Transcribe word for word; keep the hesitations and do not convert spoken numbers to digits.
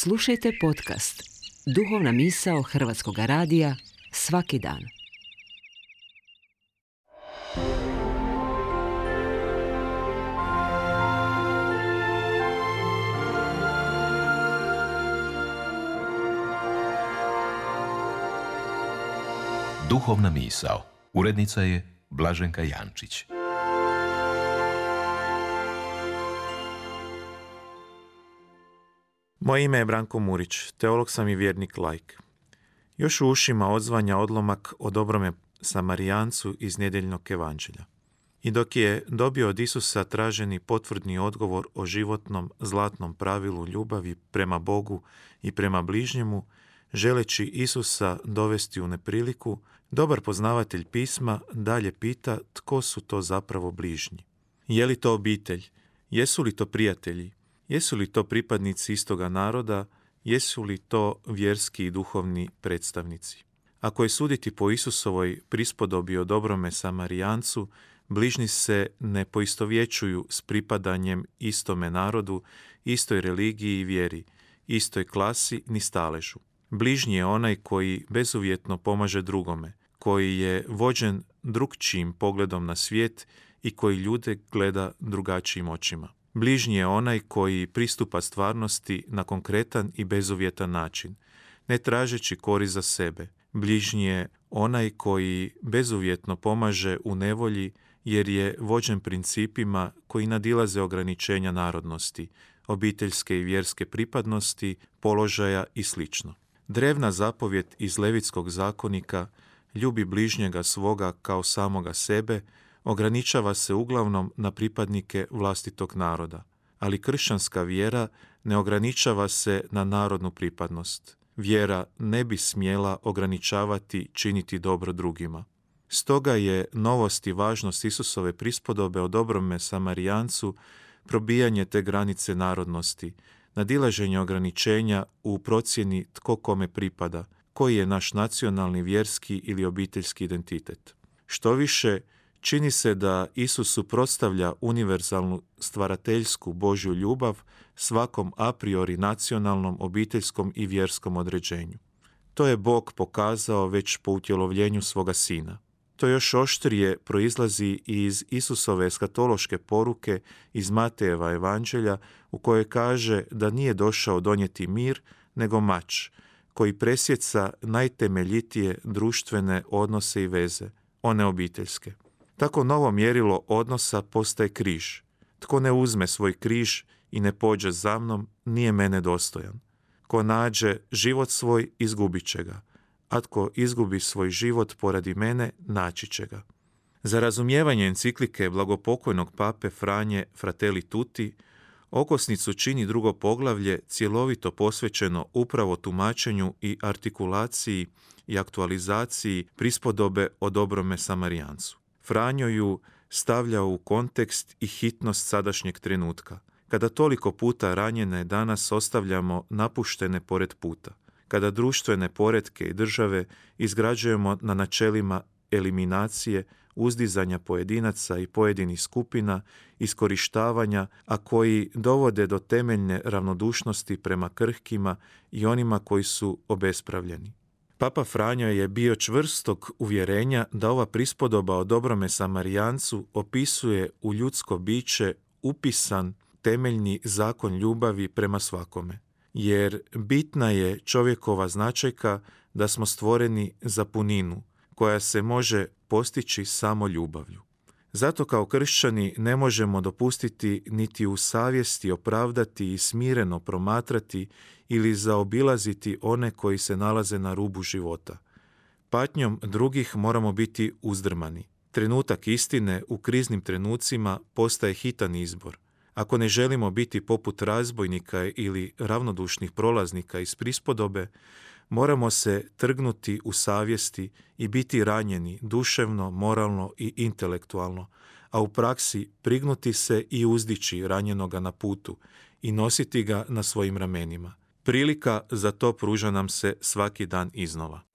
Slušajte podcast Duhovna misao Hrvatskog radija svaki dan. Duhovna misao. Urednica je Blaženka Jančić. Moje ime je Branko Murić, teolog sam i vjernik laik. Još u ušima odzvanja odlomak o dobrome Samarijancu iz nedjeljnog evanđelja. I dok je dobio od Isusa traženi potvrdni odgovor o životnom zlatnom pravilu ljubavi prema Bogu i prema bližnjemu, želeći Isusa dovesti u nepriliku, dobar poznavatelj pisma dalje pita tko su to zapravo bližnji. Je li to obitelj? Jesu li to prijatelji? Jesu li to pripadnici istoga naroda? Jesu li to vjerski i duhovni predstavnici? Ako je suditi po Isusovoj prispodobi o dobrome Samarijancu, bližnji se ne poistovjećuju s pripadanjem istome narodu, istoj religiji i vjeri, istoj klasi ni staležu. Bližnji je onaj koji bezuvjetno pomaže drugome, koji je vođen drukčijim pogledom na svijet i koji ljude gleda drugačijim očima. Bližnji je onaj koji pristupa stvarnosti na konkretan i bezuvjetan način, ne tražeći korist za sebe. Bližnji je onaj koji bezuvjetno pomaže u nevolji jer je vođen principima koji nadilaze ograničenja narodnosti, obiteljske i vjerske pripadnosti, položaja i sl. Drevna zapovjed iz Levitskog zakonika, ljubi bližnjega svoga kao samoga sebe, ograničava se uglavnom na pripadnike vlastitog naroda, ali kršćanska vjera ne ograničava se na narodnu pripadnost. Vjera ne bi smjela ograničavati činiti dobro drugima. Stoga je novost i važnost Isusove prispodobe o dobrome Samarijancu probijanje te granice narodnosti, nadilaženje ograničenja u procjeni tko kome pripada, koji je naš nacionalni, vjerski ili obiteljski identitet. Štoviše, čini se da Isus suprotstavlja univerzalnu stvarateljsku Božju ljubav svakom a priori nacionalnom, obiteljskom i vjerskom određenju. To je Bog pokazao već po utjelovljenju svoga Sina. To još oštrije proizlazi iz Isusove eskatološke poruke iz Matejeva evanđelja u kojoj kaže da nije došao donijeti mir, nego mač, koji presjeca najtemeljitije društvene odnose i veze, one obiteljske. Tako novo mjerilo odnosa postaje križ. Tko ne uzme svoj križ i ne pođe za mnom, nije mene dostojan. Ko nađe život svoj, izgubit će ga, a tko izgubi svoj život poradi mene, naći će ga. Za razumijevanje enciklike blagopokojnog pape Franje Fratelli Tutti, okosnicu čini drugo poglavlje cjelovito posvećeno upravo tumačenju i artikulaciji i aktualizaciji prispodobe o dobrome Samarijancu. Franjo ju stavlja u kontekst i hitnost sadašnjeg trenutka, kada toliko puta ranjene danas ostavljamo napuštene pored puta, kada društvene poretke i države izgrađujemo na načelima eliminacije, uzdizanja pojedinaca i pojedinih skupina, iskorištavanja, a koji dovode do temeljne ravnodušnosti prema krhkima i onima koji su obespravljeni. Papa Franjo je bio čvrstog uvjerenja da ova prispodoba o dobrome Samarijancu opisuje u ljudsko biće upisan temeljni zakon ljubavi prema svakome, jer bitna je čovjekova značajka da smo stvoreni za puninu, koja se može postići samo ljubavlju. Zato kao kršćani ne možemo dopustiti niti u savjesti opravdati i smireno promatrati ili zaobilaziti one koji se nalaze na rubu života. Patnjom drugih moramo biti uzdrmani. Trenutak istine u kriznim trenucima postaje hitan izbor. Ako ne želimo biti poput razbojnika ili ravnodušnih prolaznika iz prispodobe, moramo se trgnuti u savjesti i biti ranjeni duševno, moralno i intelektualno, a u praksi prignuti se i uzdići ranjenoga na putu i nositi ga na svojim ramenima. Prilika za to pruža nam se svaki dan iznova.